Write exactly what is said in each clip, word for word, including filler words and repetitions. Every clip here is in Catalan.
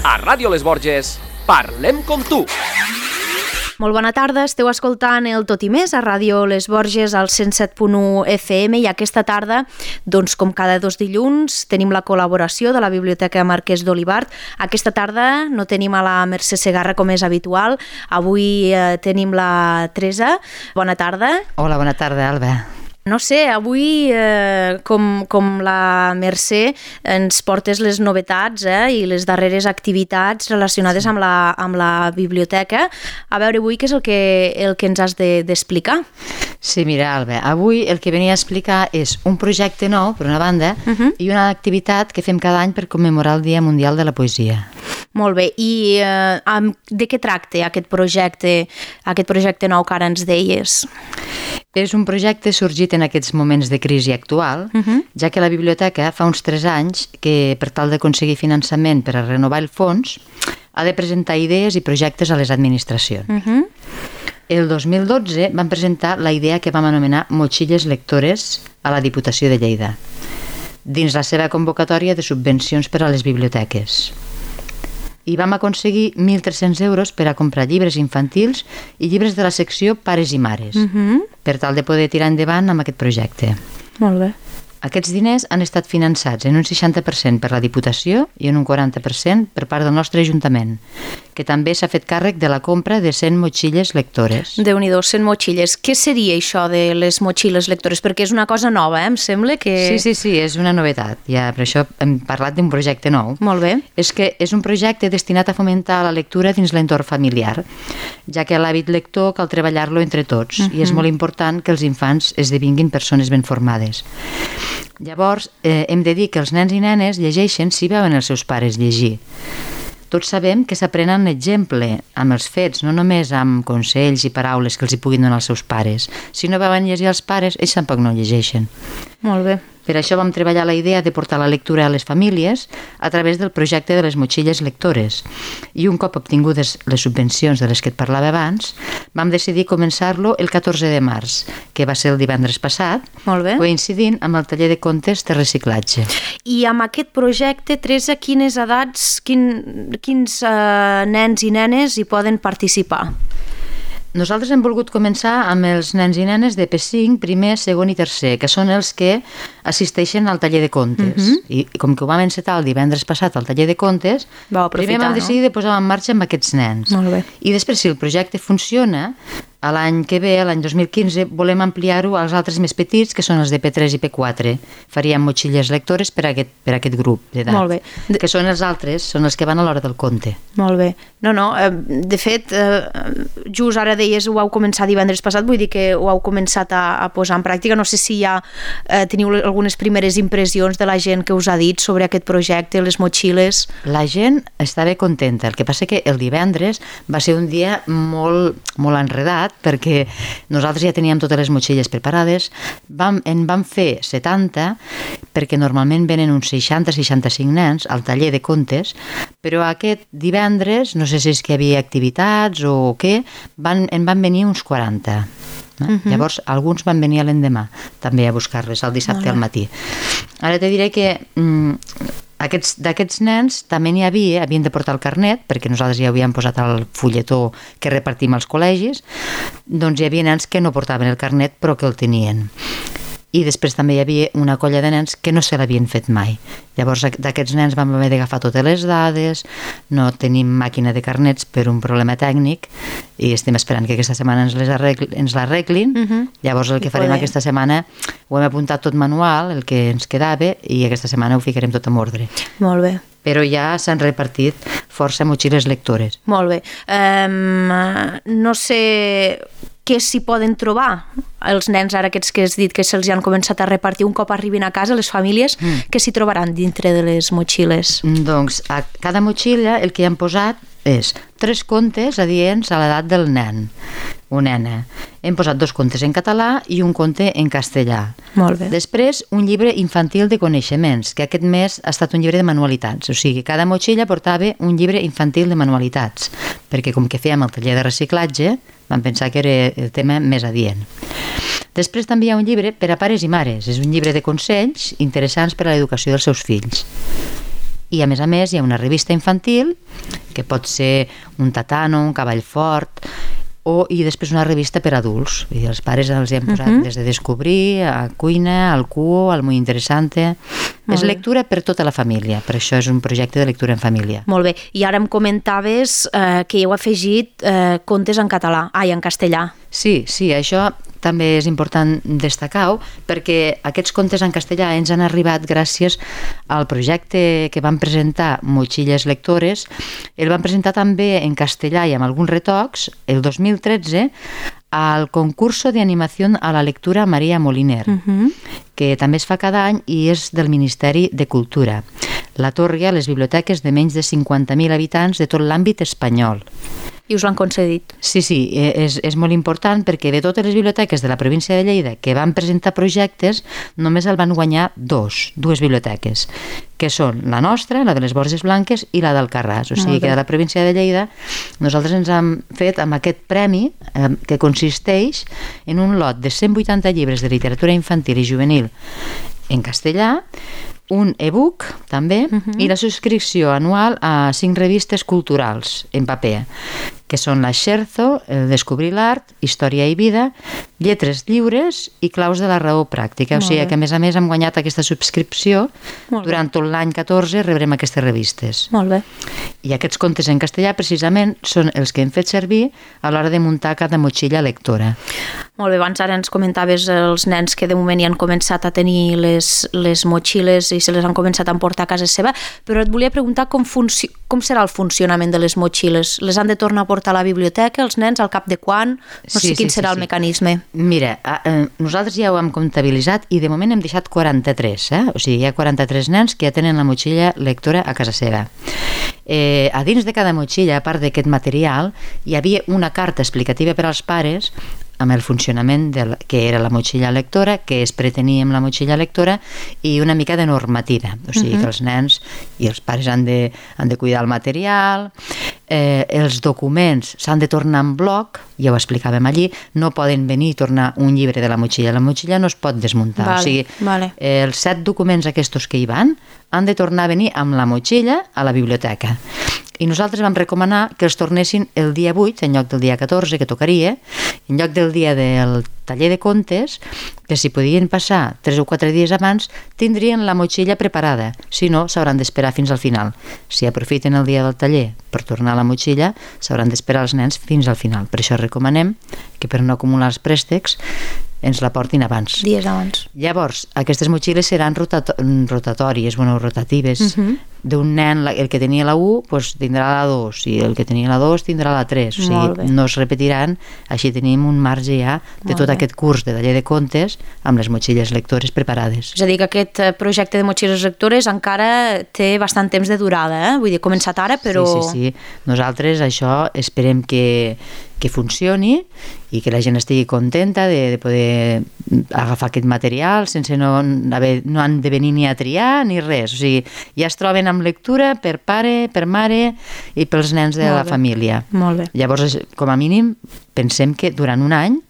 A Ràdio Les Borges, parlem com tu. Molt bona tarda, esteu escoltant el Tot i Més a Ràdio Les Borges al cent set punt u F M i aquesta tarda, doncs com cada dos dilluns, tenim la col·laboració de la Biblioteca Marquès d'Olivart. Aquesta tarda no tenim a la Mercè Segarra com és habitual, avui eh, tenim la Teresa. Bona tarda. Hola, bona tarda, Alba. No sé, avui, eh, com, com la Mercè, ens portes les novetats eh, i les darreres activitats relacionades amb la, amb la biblioteca. A veure, avui què és el que, el que ens has de, d'explicar? Sí, mira, Alba, avui el que venia a explicar és un projecte nou, per una banda, uh-huh. i una activitat que fem cada any per commemorar el Dia Mundial de la Poesia. Molt bé, i eh, amb, de què tracta aquest projecte, aquest projecte nou que ara ens deies? És un projecte sorgit en aquests moments de crisi actual, uh-huh. ja que la biblioteca fa uns tres anys que, per tal d'aconseguir finançament per a renovar el fons, ha de presentar idees i projectes a les administracions. Uh-huh. El dos mil dotze vam presentar la idea que vam anomenar Motxilles Lectores a la Diputació de Lleida, dins la seva convocatòria de subvencions per a les biblioteques. I vam aconseguir mil tres-cents euros per a comprar llibres infantils i llibres de la secció Pares i Mares, uh-huh. per tal de poder tirar endavant amb aquest projecte. Molt bé. Aquests diners han estat finançats en un seixanta per cent per la Diputació i en un quaranta per cent per part del nostre Ajuntament, que també s'ha fet càrrec de la compra de cent motxilles lectores. Déu-n'hi-do, cent motxilles. Què seria això de les motxilles lectores? Perquè és una cosa nova, eh? Em sembla que... Sí, sí, sí, és una novetat. Ja, per això hem parlat d'un projecte nou. Molt bé. És que és un projecte destinat a fomentar la lectura dins l'entorn familiar, ja que l'hàbit lector cal treballar-lo entre tots, uh-huh. i és molt important que els infants esdevinguin persones ben formades. Llavors, eh, hem de dir que els nens i nenes llegeixen si veuen els seus pares llegir. Tots sabem que s'aprenen exemple amb els fets, no només amb consells i paraules que els hi puguin donar els seus pares. Si no veuen llegir els pares, ells tampoc no llegeixen. Molt bé. Per això vam treballar la idea de portar la lectura a les famílies a través del projecte de les motxilles lectores. I un cop obtingudes les subvencions de les que et parlava abans, vam decidir començar-lo el catorze de març, que va ser el divendres passat, Molt bé. coincidint amb el taller de contes de reciclatge. I amb aquest projecte, Teresa, quines edats, quin, quins eh, nens i nenes hi poden participar? Nosaltres hem volgut començar amb els nens i nenes de P cinc, primer, segon i tercer, que són els que assisteixen al taller de contes. Uh-huh. I, I com que ho vam encetar el divendres passat al taller de contes, primer vam decidir no? de posar en marxa amb aquests nens. Molt bé. I després, si el projecte funciona, a l'any que ve, l'any dos mil quinze, volem ampliar-ho als altres més petits, que són els de P tres i P quatre. Faríem motxilles lectores per a aquest, per a aquest grup d'edat. Molt bé. De... Que són els altres, són els que van a l'hora del conte. Molt bé. No, no, de fet, just ara deies ho heu començat divendres passat, vull dir que ho heu començat a, a posar en pràctica. No sé si ja eh, teniu algunes primeres impressions de la gent que us ha dit sobre aquest projecte, les motxilles. La gent estava contenta. El que passa que el divendres va ser un dia molt, molt enredat, perquè nosaltres ja teníem totes les motxilles preparades, vam, en vam fer setanta, perquè normalment venen uns seixanta seixanta-cinc nens al taller de contes, però aquest divendres, no sé si és que hi havia activitats o què, van, en van venir uns quaranta. Eh? Uh-huh. Llavors, alguns van venir l'endemà, també a buscar-les, el dissabte al matí. Ara te diré que... Mm, Aquests, d'aquests nens també n'hi havia, havien de portar el carnet, perquè nosaltres ja havíem posat el fulletó que repartim als col·legis, doncs hi havia nens que no portaven el carnet però que el tenien. I després també hi havia una colla de nens que no se l'havien fet mai. Llavors d'aquests nens vam haver d'agafar totes les dades, no tenim màquina de carnets per un problema tècnic i estem esperant que aquesta setmana ens, les arreglin, ens l'arreglin. Uh-huh. Llavors el que farem aquesta setmana ho hem apuntat tot manual, el que ens quedava, i aquesta setmana ho ficarem tot en ordre. Molt bé. Però ja s'han repartit força motxilles lectores. Molt bé. Um, no sé què s'hi poden trobar els nens ara aquests que has dit que se'ls han començat a repartir un cop arribin a casa, les famílies, mm. què s'hi trobaran dintre de les motxilles? Doncs a cada motxilla el que hi han posat és tres contes adients a l'edat del nen o nena. Hem posat dos contes en català i un conte en castellà. Molt bé. Després, un llibre infantil de coneixements, que aquest mes ha estat un llibre de manualitats. O sigui, cada motxilla portava un llibre infantil de manualitats, perquè com que fèiem el taller de reciclatge, vam pensar que era el tema més adient. Després també hi ha un llibre per a pares i mares. És un llibre de consells interessants per a l'educació dels seus fills. i a més a més hi ha una revista infantil que pot ser un tatano, un cavall fort, o, i després una revista per adults. I els pares els hi han posat uh -huh. des de descobrir, a cuina, al cuo, al muy interesante. Molt és bé. Lectura per tota la família, per això és un projecte de lectura en família. Molt bé, i ara em comentaves eh, que heu afegit eh, contes en català, ai, en castellà. Sí, sí, això també és important destacar-ho, perquè aquests contes en castellà ens han arribat gràcies al projecte que van presentar Motxilles Lectores. El van presentar també en castellà i amb alguns retocs el dos mil tretze al concurso de animación a la lectura María Moliner, uh-huh. que també es fa cada any i és del Ministeri de Cultura. L'atorga a les biblioteques de menys de cinquanta mil habitants de tot l'àmbit espanyol. I us l'han concedit. Sí, sí, és, és molt important perquè de totes les biblioteques de la província de Lleida que van presentar projectes, només el van guanyar dos, dues biblioteques, que són la nostra, la de les Borges Blanques i la d'Alcarràs. O sigui que de la província de Lleida nosaltres ens hem fet amb aquest premi eh, que consisteix en un lot de cent vuitanta llibres de literatura infantil i juvenil en castellà, un e-book també, uh-huh. i la subscripció anual a cinc revistes culturals en paper, que són la Scherzo, el Descobrir l'Art, Història i Vida, Lletres Lliures i Claus de la Raó Pràctica. Molt o sigui bé. Que a més a més hem guanyat aquesta subscripció. Molt durant bé. Tot l'any catorze rebrem aquestes revistes. Molt bé. I aquests contes en castellà precisament són els que hem fet servir a l'hora de muntar cada motxilla lectora. Molt bé, abans ara ens comentaves els nens que de moment ja han començat a tenir les, les motxilles i se les han començat a emportar a casa seva, però et volia preguntar com, funci- com serà el funcionament de les motxilles. Les han de tornar a portar a la biblioteca, els nens, al cap de quan? No sé sí, quin sí, serà sí, el sí. mecanisme. Mira, eh, nosaltres ja ho hem comptabilitzat i de moment hem deixat quaranta-tres, eh? O sigui, hi ha quaranta-tres nens que ja tenen la motxilla lectora a casa seva. Eh, a dins de cada motxilla, a part d'aquest material, hi havia una carta explicativa per als pares amb el funcionament del, que era la motxilla lectora, què es pretenia amb la motxilla lectora i una mica de normativa. O sigui uh-huh. que els nens i els pares han de, han de cuidar el material, eh, els documents s'han de tornar en bloc, ja ho explicàvem allí, no poden venir i tornar un llibre de la motxilla. La motxilla no es pot desmuntar. Vale, o sigui, vale. eh, els set documents aquests que hi van han de tornar a venir amb la motxilla a la biblioteca. I nosaltres vam recomanar que els tornessin el dia vuit, en lloc del dia catorze, que tocaria, en lloc del dia del taller de contes, que si podien passar tres o quatre dies abans, tindrien la motxilla preparada. Si no, s'hauran d'esperar fins al final. Si aprofiten el dia del taller per tornar a la motxilla, s'hauran d'esperar els nens fins al final. Per això recomanem que per no acumular els préstecs ens la portin abans. Dies abans. Llavors, aquestes motxilles seran rotato- rotatòries, bueno, rotatives. Uh-huh. D'un nen, el que tenia la u, pues, tindrà la dos, i el que tenia la dos tindrà la tres. O sigui, no es repetiran, així tenim un marge ja de Molt tot bé. Aquest curs de taller de contes amb les motxilles lectores preparades. És a dir, que aquest projecte de motxilles lectores encara té bastant temps de durada, eh? Vull dir, he començat ara, però... Sí, sí, sí. Nosaltres això esperem que que funcioni i que la gent estigui contenta de, de poder agafar aquest material sense no, haver, no han de venir ni a triar ni res, o sigui, ja es troben amb lectura per pare, per mare i pels nens de Molt la bé. Família. Molt bé. Llavors, com a mínim, pensem que durant un any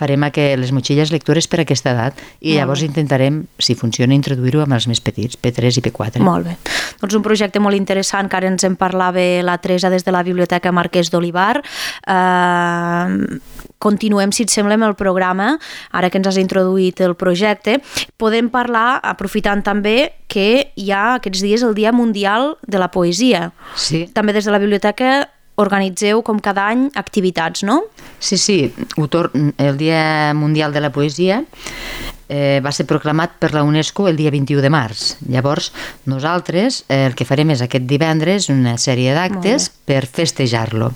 farem que les motxilles lectores per aquesta edat i llavors intentarem, si funciona, introduir-ho amb els més petits, P tres i P quatre. Molt bé. Doncs un projecte molt interessant que ara ens en parlava la Teresa des de la Biblioteca Marquès d'Olivar. Eh, continuem, si et sembla, amb el programa, ara que ens has introduït el projecte. Podem parlar, aprofitant també que hi ha aquests dies el Dia Mundial de la Poesia. Sí. També des de la biblioteca organitzeu com cada any activitats, no? Sí, sí, el Dia Mundial de la Poesia eh, va ser proclamat per la UNESCO el dia vint-i-u de març. Llavors, nosaltres eh, el que farem és aquest divendres una sèrie d'actes per festejar-lo.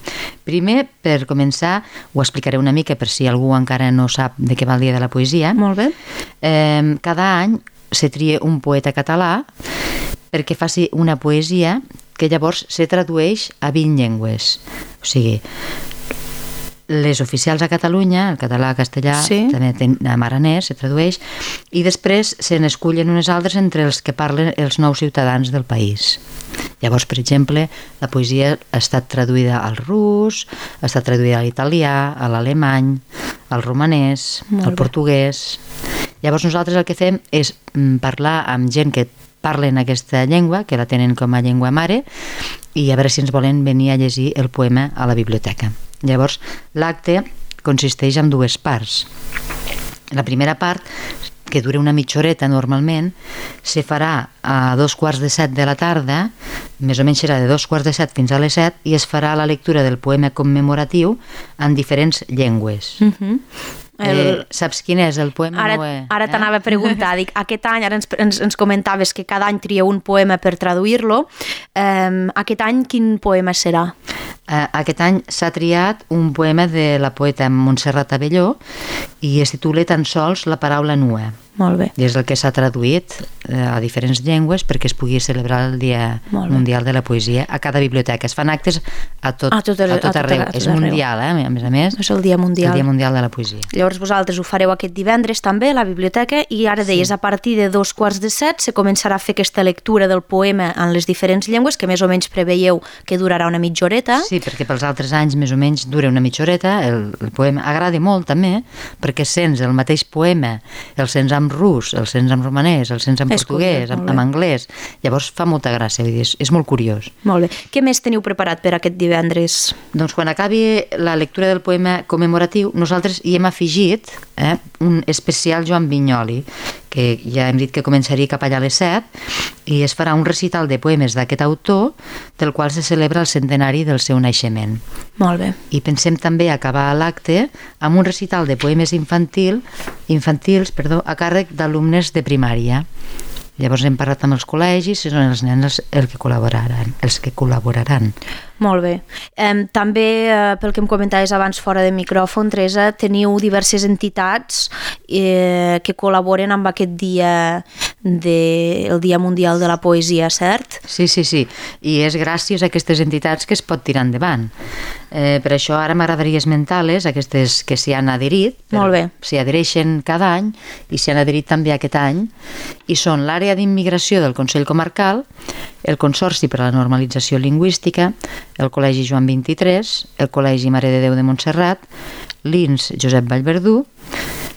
Primer, per començar, ho explicaré una mica per si algú encara no sap de què va el Dia de la Poesia. Molt bé. Eh, cada any se tria un poeta català perquè faci una poesia que llavors se tradueix a vint llengües. O sigui, les oficials a Catalunya, el català, el castellà, sí. també en aranès se tradueix, i després se n'escullen unes altres entre els que parlen els nous ciutadans del país. Llavors, per exemple, la poesia ha estat traduïda al rus, ha estat traduïda a l'italià, a l'alemany, al romanès, al portuguès. Llavors nosaltres el que fem és parlar amb gent que parlen aquesta llengua, que la tenen com a llengua mare, i a veure si ens volen venir a llegir el poema a la biblioteca. Llavors, l'acte consisteix en dues parts. La primera part, que dura una mitja horeta normalment, se farà a dos quarts de set de la tarda, més o menys serà de dos quarts de set fins a les set, i es farà la lectura del poema commemoratiu en diferents llengües. Uh-huh. El... Eh, saps quin és el poema? Ara, no, eh? ara t'anava a preguntar, dic, aquest any, ara ens, ens, ens comentaves que cada any trieu un poema per traduir-lo, eh, aquest any quin poema serà? Eh, aquest any s'ha triat un poema de la poeta Montserrat Abelló i es titula Tan sols la paraula nua. Molt bé. I és el que s'ha traduït eh, a diferents llengües perquè es pugui celebrar el Dia Mundial de la Poesia a cada biblioteca. Es fan actes a tot, a tot, a tot arreu. A tot és arreu. Mundial, eh? A més a més. És el Dia Mundial. El Dia Mundial de la Poesia. Llavors vosaltres ho fareu aquest divendres també a la biblioteca i ara deies, sí. A partir de dos quarts de set se començarà a fer aquesta lectura del poema en les diferents llengües, que més o menys preveieu que durarà una mitja horeta. Sí, perquè pels altres anys més o menys dura una mitja horeta. El, el poema agrada molt també perquè sents el mateix poema, el sents amb rus, el sents en romanès, el sents en és portuguès, en, en anglès. Llavors fa molta gràcia, vull dir, és, és molt curiós. Molt bé. Què més teniu preparat per aquest divendres? Doncs quan acabi la lectura del poema commemoratiu, nosaltres hi hem afegit eh, un especial Joan Vinyoli, que ja hem dit que començaria cap allà a les set, i es farà un recital de poemes d'aquest autor, del qual se celebra el centenari del seu naixement. Molt bé. I pensem també acabar l'acte amb un recital de poemes infantil, infantils perdó, a càrrec d'alumnes de primària. Llavors hem parlat amb els col·legis i són els nens els, el que col·laboraran, els que col·laboraran. Molt bé. Eh, també, eh, pel que em comentaves abans fora de micròfon, Teresa, teniu diverses entitats eh, que col·laboren amb aquest dia, de, el Dia Mundial de la Poesia, cert? Sí, sí, sí. I és gràcies a aquestes entitats que es pot tirar endavant. Eh, per això ara m'agradaria esmentar-les, aquestes que s'hi han adherit. Molt bé. S'hi adhereixen cada any i s'hi han adherit també aquest any, i són l'àrea d'immigració del Consell Comarcal, el Consorci per a la Normalització Lingüística, el Col·legi Joan vint-i-tres, el Col·legi Mare de Déu de Montserrat, l'I N S Josep Vallverdú,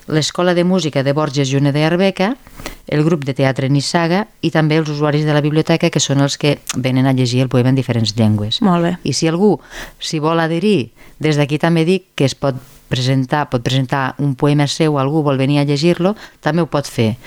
l'Escola de Música de Borges Juneda i Arbeca, el grup de teatre Nissaga i també els usuaris de la biblioteca, que són els que venen a llegir el poema en diferents llengües. Molt bé. I si algú s'hi vol adherir, des d'aquí també dic que es pot presentar, pot presentar un poema seu, algú vol venir a llegir-lo, també ho pot fer.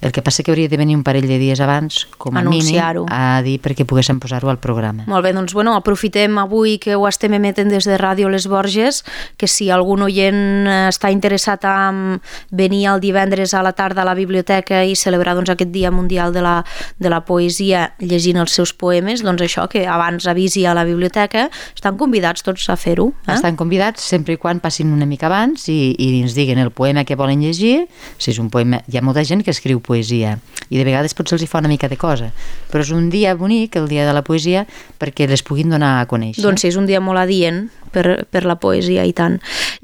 El que passa que hauria de venir un parell de dies abans, com a mínim, a dir perquè poguéssim posar-ho al programa. Molt bé, doncs bueno, aprofitem avui que ho estem emetent des de Ràdio Les Borges, que si algun oient està interessat en venir el divendres a la tarda a la biblioteca i celebrar doncs, aquest Dia Mundial de la, de la Poesia llegint els seus poemes, doncs això, que abans avisi a la biblioteca, estan convidats tots a fer-ho. Eh? Estan convidats sempre i quan passin una mica abans i, i ens diguin el poema que volen llegir. Si és un poema, hi ha molta gent que escriu poesia i de vegades potser els hi fa una mica de cosa, però és un dia bonic, el dia de la poesia, perquè les puguin donar a conèixer. Doncs sí, és un dia molt adient per, per la poesia i tant.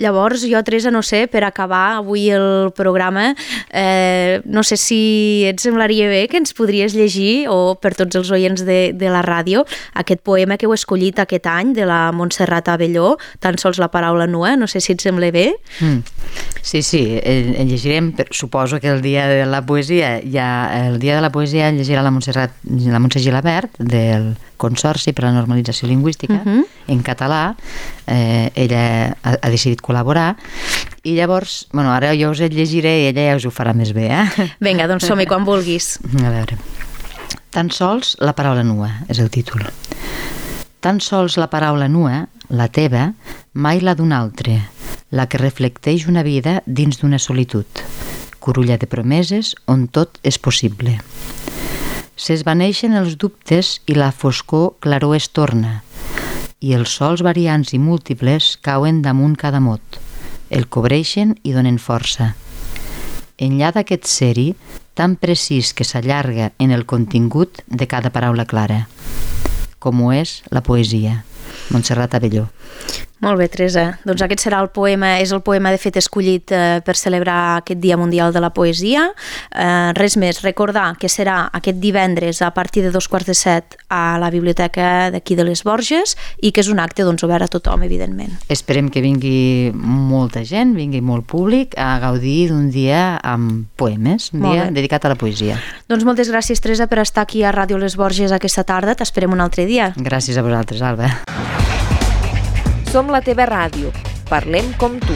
Llavors jo, Teresa, no sé, per acabar avui el programa, eh, no sé si et semblaria bé que ens podries llegir, o per tots els oients de, de la ràdio, aquest poema que heu escollit aquest any de la Montserrat Abelló, Tan sols la paraula nua, no sé si et sembla bé. Mm. Sí, sí, el, el llegirem, suposo que el dia de la poesia, ja, el dia de la poesia llegirà la Montserrat, la Montse Gilabert, del Consorci per a la Normalització Lingüística, uh-huh. en català. Eh, ella ha, ha decidit col·laborar, i llavors, bueno, ara jo us el llegiré i ella ja us ho farà més bé, eh? Vinga, doncs som-hi quan vulguis. A veure. Tan sols la paraula nua, és el títol. Tan sols la paraula nua, la teva, mai la d'un altre, la que reflecteix una vida dins d'una solitud, curulla de promeses on tot és possible. S'esvaneixen els dubtes i la foscor claror es torna, i els sols variants i múltiples cauen damunt cada mot, el cobreixen i donen força. Enllà d'aquest ser-hi, tan precís que s'allarga en el contingut de cada paraula clara, com ho és la poesia. Montserrat Abelló. Molt bé, Teresa. Doncs aquest serà el poema, és el poema de fet escollit eh, per celebrar aquest Dia Mundial de la Poesia. Eh, res més, recordar que serà aquest divendres a partir de dos quarts de set a la biblioteca d'aquí de les Borges i que és un acte doncs, obert a tothom, evidentment. Esperem que vingui molta gent, vingui molt públic a gaudir d'un dia amb poemes, un dia dedicat a la poesia. Doncs moltes gràcies, Teresa, per estar aquí a Ràdio Les Borges aquesta tarda. T'esperem un altre dia. Gràcies a vosaltres, Alba. Som la teva ràdio. Parlem com tu.